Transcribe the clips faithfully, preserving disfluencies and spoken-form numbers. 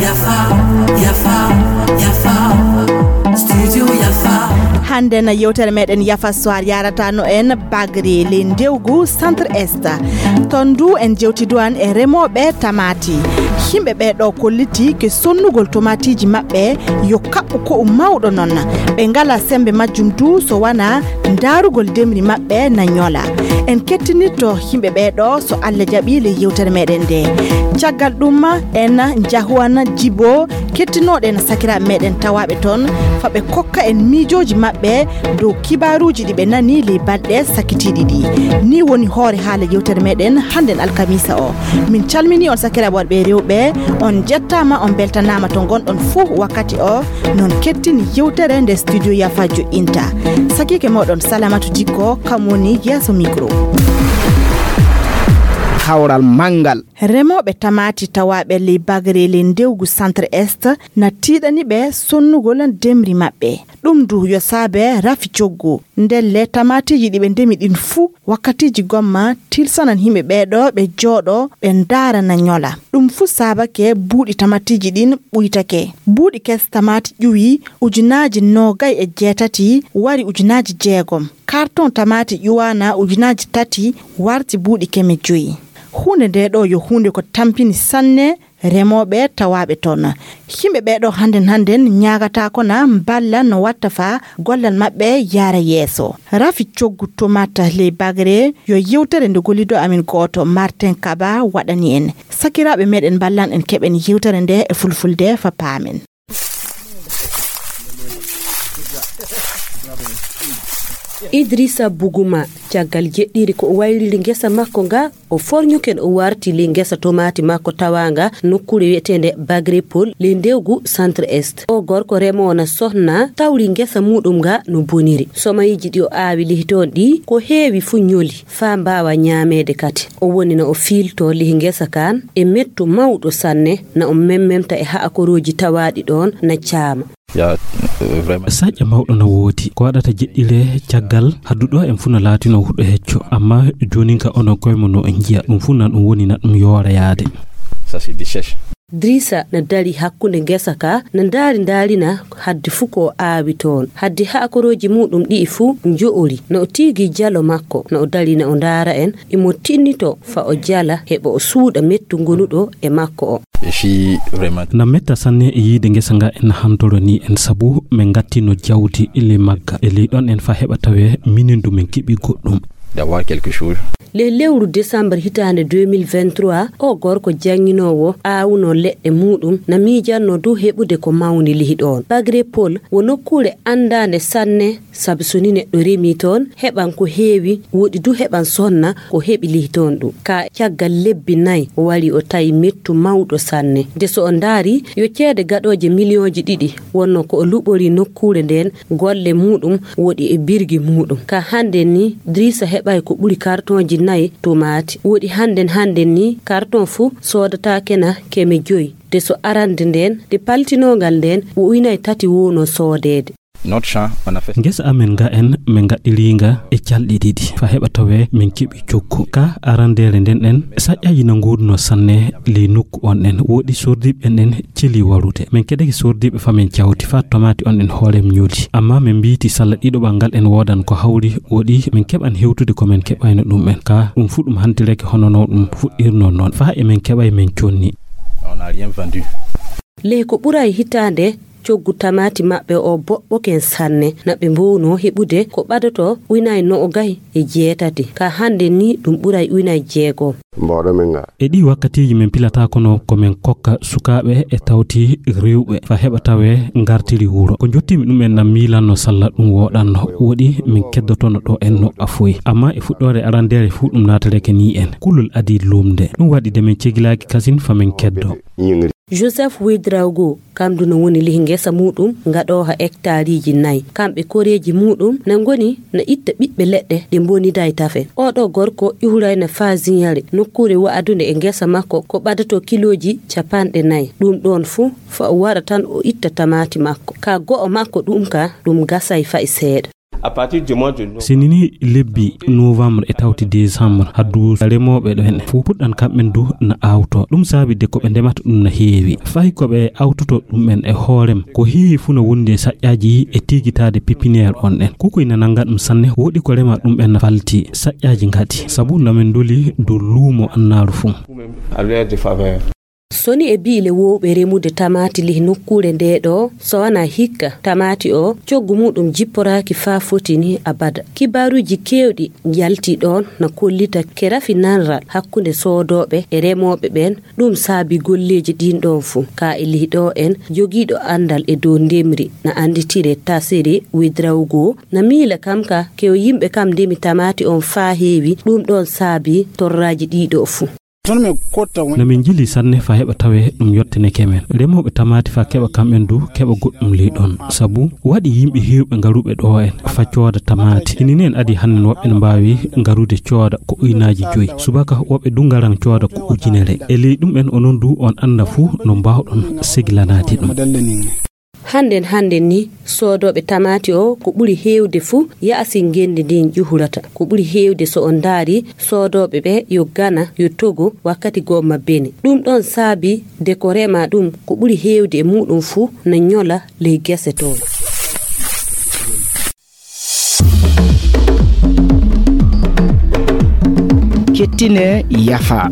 Yafa, yafa, yafa. Studio Yafa. Hannde na yewtere meɗen Yafa Soir yaratano en bagre ley ndewgu Centre Est. Ton du en jewtiduwan e remooɓe tamaati. Yimɓe ɓee ɗo kolliti ke sonnugol tomaatiiji maɓɓe yo kaɓɓu ko'u mawɗo non. Ɓe ngala sembe majjum du so wana ndaarugol demri maɓɓe na ñola. En kettinitto yimɓe ɓee ɗo so Allah jaɓi ley yewtere meɗen nde. Caggal ɗum en njahuwan Jibo kettinooɗen sakiraaɓe meɗen tawaaɓe ton fa ɓe kokka en miijooji maɓɓe dow kibaaruuji ɗi ɓe nani ley balɗe sakkitiiɗi ɗi. Ni woni hoore haala yewtere meɗen hannden alkamisa o. Min calmini on sakiraaɓe worɓe e rewɓe, on jettaama, on beltanaama to ngonɗon fuu wakkati o. Non kettini yewtere nde studio Yafa joɗɗinta. Sakiike moɗon Salamatu Dikko, kam woni yeeso micro. Hawral manngal. Remooɓe tamaati tawaaɓe ley bagre ley ndewgu Centre Est na tiiɗani ɓe sonnugol demri maɓɓe. Ɗum du yo saabe rafi coggu. Ndelle tamaatiiji ɗi ɓe ndemi ɗin fuu, wakkatiiji gomma tilsanan yimɓe ɓee ɗo ɓe jooɗo, ɓe ndaara na ñola. Ɗum fuu saabake buuɗi tamaatiiji ɗin ɓuytake. Buuɗi kes tamaati ƴuwi ujunaaji noogay e jeetati, wari ujunaaji jeegom. Karton tamaati ƴuwaana ujunaaji tati, warti buuɗi keme joyi. Huunde nde ɗo yo huunde ko tampini sanne remooɓe tawaaɓe toon. Yimɓe ɓee ɗo hannden hannden ñaagataako na mballa no watta fa gollal maɓɓe yaara yeeso. Rafi coggu tomata ley bagre yo yewtere nde gollido amin gooto Martin Kaba waɗani en. Sakiraaɓe meɗen mballan en keɓen yewtere nde e fulfulde fa paamen. Idrissa Buguma, caggal jeɗɗiri ko o wayliri ngesa makko nga, o forñuke no o warti ley ngesa tomaati makko tawaanga nokkuure wi'eteende Bagrepol ley ndewgu Centre Est. O gorko remoowo na sohna tawri ngesa muuɗum nga no boniri. Somayiji ɗi o aawi lihi toon ɗi ko heewi fuu ñoli faa mbaawa ñaameede kadi. O woni na o fiiltoo lihi ngesa kaan e mettu mawɗo sanne, na o memmemta e haakorooji tawaaɗi ɗoon na caama. Ya, eh, vraiment. Saƴƴa mawɗo na woodi. Ko waɗata jeɗɗire caggal hadduɗo en fuu na laatino huɗo hecco. Amma joonin ka onon koye mon no on njiya ɗum fuu na ɗum woni na ɗum yoora yaade. Ça, c'est des chèches. Drisa na dari hakkunde ngesa ka, na ndaari ndaarina haddi fuu ko o aawi toon. Haddi haakorooji muuɗum ɗi'i fuu njo'ori. Na o tiigi jalo makko, na o dari na o ndaara en, imo tinnito fa o jala heɓa o suuɗa mettu ngonuɗo e makko o. Et si vraiment. Na metta sanne e yiide ngesa nga en hantoro ni en sabu men ngattino jawdi e ley magga. E ley ɗon en fa heɓa tawe minen du men keɓi goɗɗum. D'avoir quelque chose. Le lewru décembre hitaande deux mille vingt-trois, o gorko jannginoowo aawuno leɗɗe muuɗum na miijanno du heɓude ko mawni lihi ɗoon. Bagre Paul wo nokkuure anndaande sanne. Sabu so ni neɗɗo remii toon, heɓan ko heewi, woɗi du heɓan sonna ko heɓi lihi toon ɗum. Ka caggal lebbi nay, o wari o tawi mettu mawɗo sanne. Nde so o ndaari, yo ceede gaɗooje miliyooji ɗiɗi wonno ko o luɓori nokkuure ndeen, golle muuɗum woɗi e birgi muuɗum. Ka hannde ni, Drisa heɓay ko ɓuri kartonji nay tomaati. Woɗi hannden hannden ni, karton fuu soodataake na keme joyi. Nde so arande ndeen, nde paltinongal ndeen, wo uynay tati wowno soodeede. Notre champ, on a fait. Ngesa amen nga en, min ngaɗɗiri nga e calɗi ɗiɗi, fa heɓa tawe min keɓi coggu. Ka arandeere nden en, saƴƴaji na nguurno sanne ley nokku on en, woɗi sordiiɓe en en celi warude. Min keɗake sordiiɓe fa min cawti, fa tomaati on en hoore min ñooli. Amma min mbiiti salla ɗiɗoɓal ngal en woodan ko hawri, woɗi min keɓan hewtude ko min keɓayno ɗum en. Ka ɗum fuu ɗum hantirake hono no ɗum fuɗɗirno noon. Fa e min keɓay min conni. On n'a rien vendu. Ley ko ɓuray hitaande, coggu tamaati maɓɓe o boɓɓoken sanne. Na ɓe mbownoo heɓude ko ɓadotoo uynay noogay e jeetati. Ka hannde ni ɗum ɓuray uynay jeegom. Mboɗo min nga. E ɗii wakkatiiji min pilata kono ko min kokka sukaaɓe e tawti rewɓe fa heɓa tawe ngartiri wuro. Ko njottimi ɗum en na miilanno salla ɗum woɗanno. Woɗi min keddotono ɗo en no afoyi. Amma e fuɗɗoore arandeere fuu ɗum naatareke ni en. Kulol adii lumde. Ɗum waɗi de min cegilaaki kasin fa min keddo. Joseph Ouédraogo, kam du no woni lihi ngesa muuɗum ngaɗooha hektaariiji nay. Kamɓe koreeji muuɗum na ngoni na itta ɓiɓɓe leɗɗe ɗe mboniday tafe. Oɗo gorko ƴuhuray na faa Ziñare, nokkuure wa'adunde e ngesa makko ko ɓadato kilooji capanɗe nay. Ɗum ɗoon fuu fa o wara tan o itta tamaati makko. Ka go'o makko ɗum ka ɗum gasay fay seeɗa. À partir du mois de novembre. Sinini lebbi novembre e tawti décembre, haddu remooɓe ɗo en fof puɗɗan kamɓen du na awto. Ɗum saabi de ko ɓe ndemata ɗum na heewi. Fay ko ɓe awtoto ɗum en e hoorem, ko heewi fuu na wondi e saƴƴaaji e tigitaade pépinière on en. Kukuy na nannga ɗum sanne, woɗi ko rema ɗum en na falti saƴƴaaji ngati. Sabu na min ndoli dow luumo annaaru fuu. À leur défaveur. Soni e biile wowɓe remude tamaati lih nokkuure nde ɗo, so wanaa hikka tamaati o, coggu muɗum jipporaaki faa foti ni abada. Kibaaruuji keewɗi njalti ɗoon na kollita ke rafi nanral hakkunde soodooɓe e remooɓe ɓeen, ɗum saabi golleeji ɗiin ɗoon fuu. Ka e lih ɗo en, jogiiɗo anndal e dow ndemri na annditire Tasiri Widrawgo, na miila kam ka ke o yimɓe kam ndemi tamaati on faa heewi, ɗum ɗoon saabi torraaji ɗii ɗo fuu. Na min njili sanne fa heɓa tawe ɗum yottineke men. Remooɓe tamaati fa keɓa kamɓen du keɓa goɗɗum ley ɗon. Sabu waɗi yimɓe heewɓe ngaruɓe ɗo en fa cooda tamaati. Ini nen adi hannde no woɓɓe no mbaawi ngarude cooda ko uynaaji joyi. Subaka woɓɓe du ngaran cooda ko ujunere. E ley ɗum en onon du on annda fuu no mbaawɗon segilanaade ɗum. Hannden hannden ni, soodooɓe tamaati o, ko ɓuri heewde fuu, yaasin ngenndi ndin ƴuhurata. Ko ɓuri heewde, so on ndaari, soodooɓe ɓe yo Gana, yo Togo, wakkati gomma Bene. Ɗum ɗon saabi de ko rema ɗum, ko ɓuri heewde e muɗum fuu na ñola ley gese toon. Kettine yafa.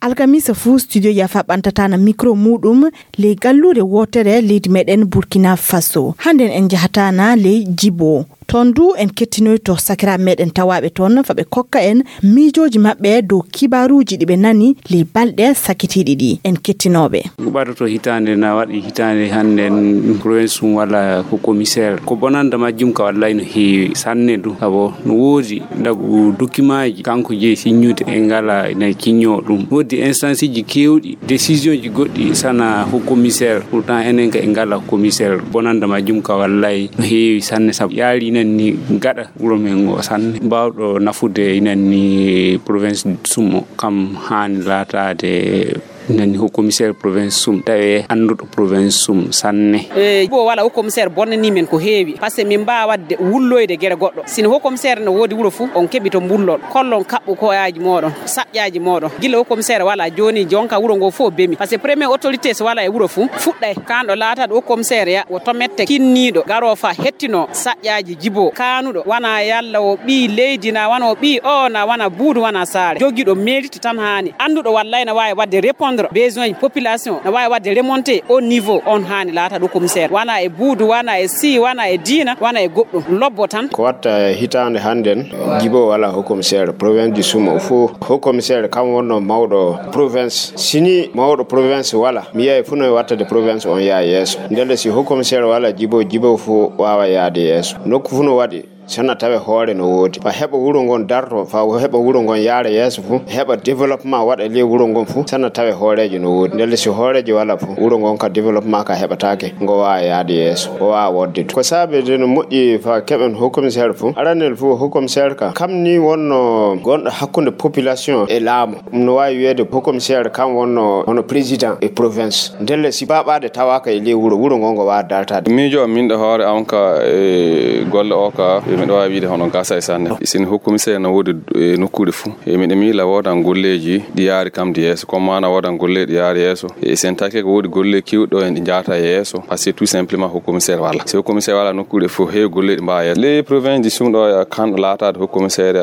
Alkamisa fuu, studio Yafa ɓantataana mikro muɗum ley galluure wootere leydi meɗen Burkina Faso. Hannden en njahataana ley Jibo. Toon du en kettinoyto sakiraaɓe meɗen tawaaɓe toon, fa ɓe kokka en miijooji maɓɓe dow kibaaruuji ɗi ɓe nani ley balɗe sakitiiɗi ɗi. En kettinooɓe. Ko ɓadotoo hitaande na waɗi hitaande hannden, province sum wala ko commissaire. Ko bonanda majjum ka wallay no heewi sanne du. Abo no woodi ndagu dokimaaji kanko jeyi siññude e ngala ina ciññoo ɗum. Woodi instanceji keewɗi, décisionji goɗɗi sana ko commissaire. Pourtant enen ka e ngala commissaire. Bonanda majjum ka wallay no heewi sanne sabu yaari inen ni gaɗa wuro men ngo sanne. Baawɗo nafude inen ni province sum o kam haani laataade inen ni ko commissaire province sum, tawi annduɗo province sum sanne. E bo wala, haut commissaire bonnani men ko heewi, parce que min mbaawa waɗde wulloyde gere goɗɗo. Sino haut commissaire no woodi wuro fuu, on keɓi to mbullon, kollon kaɓɓu koyaaji mooɗon, saƴƴaaji mooɗon. Gila haut commissaire wala jooni, jonka wuro ngo fof bemi. Parce que premier autorité so wala e wuro fuu, fuɗɗay kanɗo laataɗo haut commissaire ya, wo to mette kinniiɗo, garoo fa hettinoo saƴƴaaji Jibo. Kaanuɗo, wana yalla o ɓii leydi, na wana o ɓii o, na wana buudu, wana saare. Jogiiɗo mérite tan haani. Annduɗo wallay na waawi waɗde répondre besoin population, na waawi waɗde remonté au niveau, on haani laata ɗo commissaire. Wana e buudu, wana e si, wana e diina, wana e goɗɗum. Lobbo tan. Ko watta hitaande hannden, Jibo wala haut commissaire, province du Sum o fof. Haut commissaire kam wonno mawɗo province. Sini mawɗo province wala, mi yiyay fuu no wattade province on yaa yeeso. Ndelle si haut commissaire wala Jibo, Jibo fuu waawa yaade yeeso. Nokku fuu no waɗi, sana tawe hoore no woodi. Fa heɓa wuro ngon darto, fa heɓa wuro ngon yaara yeeso fuu, heɓa développement waɗa ley wuro ngon fuu, sana tawe hooreejo no woodi. Ndelle si hooreejo wala fuu, wuro ngon ka développement ka heɓataake, ngo waawa yaade yeeso, ngo waawa woodde. Ko saabe de no moƴƴi fa keɓen haut commissaire fuu. Aranel fuu haut commissaire ka, kam ni wonno gonɗo hakkunde population e laamu. Ɗum no waawi wiyeede haut commissaire kam wonno hono président e province. Ndelle si baaɓaade tawaaka e ley wuro, wuro ngo ngo waawa dartaade. Miijo am min ɗo hoore am ka e golle o ka, e miɗo waawi wiide hono gasa e sanne. Sini haut commissaire no woodi e nokkuure fuu. E miɗo miila woodan golleeji ɗi yaari kam di yeeso. Comme maana woodan golleeji ɗi yaari yeeso. E sen taki ko woodi golle kewɗo en ɗi jaata yeeso. Parce que tout simplement haut commissaire wala. Si haut commissaire wala nokkuure fuu, heewi golleeji mbaawa yeeso. Les provinces du Sum ɗo ya kan laataade haut commissaire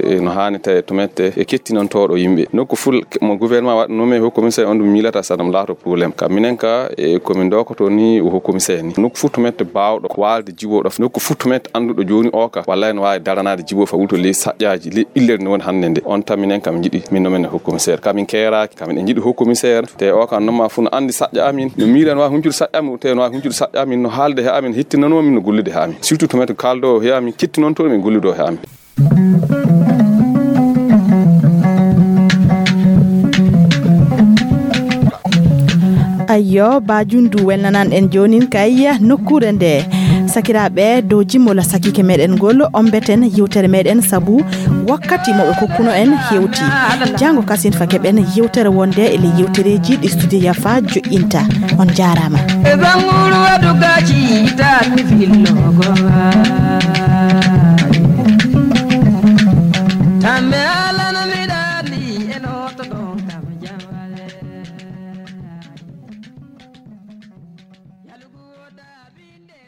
e no haani tawi to mette e kettinantooɗo yimɓe. Nokku fuu mo gouvernement waɗa nommé haut commissaire on ɗum miilata sa ɗum laato problème. Ka minen ka e ko min dokoto ni o haut commissaire ni. Nokku fuu to mette baawɗo waalde Jibo ɗo. Nokku fuu to mette annduɗo jooni o ka. Wallay no waawi daranaade Jibo fa wulto ley saƴƴaaji, ley ɓillere no woni hannde nde. On tan minen kam njiɗi, min no men haut commissaire. Ka min keeraaki, ka min njiɗi haut commissaire. Te o ka nomma fuu no anndi saƴƴa amin. No miilan waawi huncude saƴƴa amin, te no waawi huncude saƴƴa amin, no haalde he amin, hittinanoo min, no gollude he amin. Surtout to mette kaaldo he amin, kettinonto min golludo he amin. Ayyo, Bajundu welnanan en joonin kay nokkuure nde. Sakiraaɓe, dow jimmol sakiike meɗen ngol, ombeten yewtere meɗen sabu wakkati mo ɓe kokkuno en hewti. Janngo kasin fa keɓen yewtere wonde e ley yewtereeji ɗi studio Yafa joƴƴinta. On jaaraama. E bannguru waɗu gaci, ita mi fillo goma.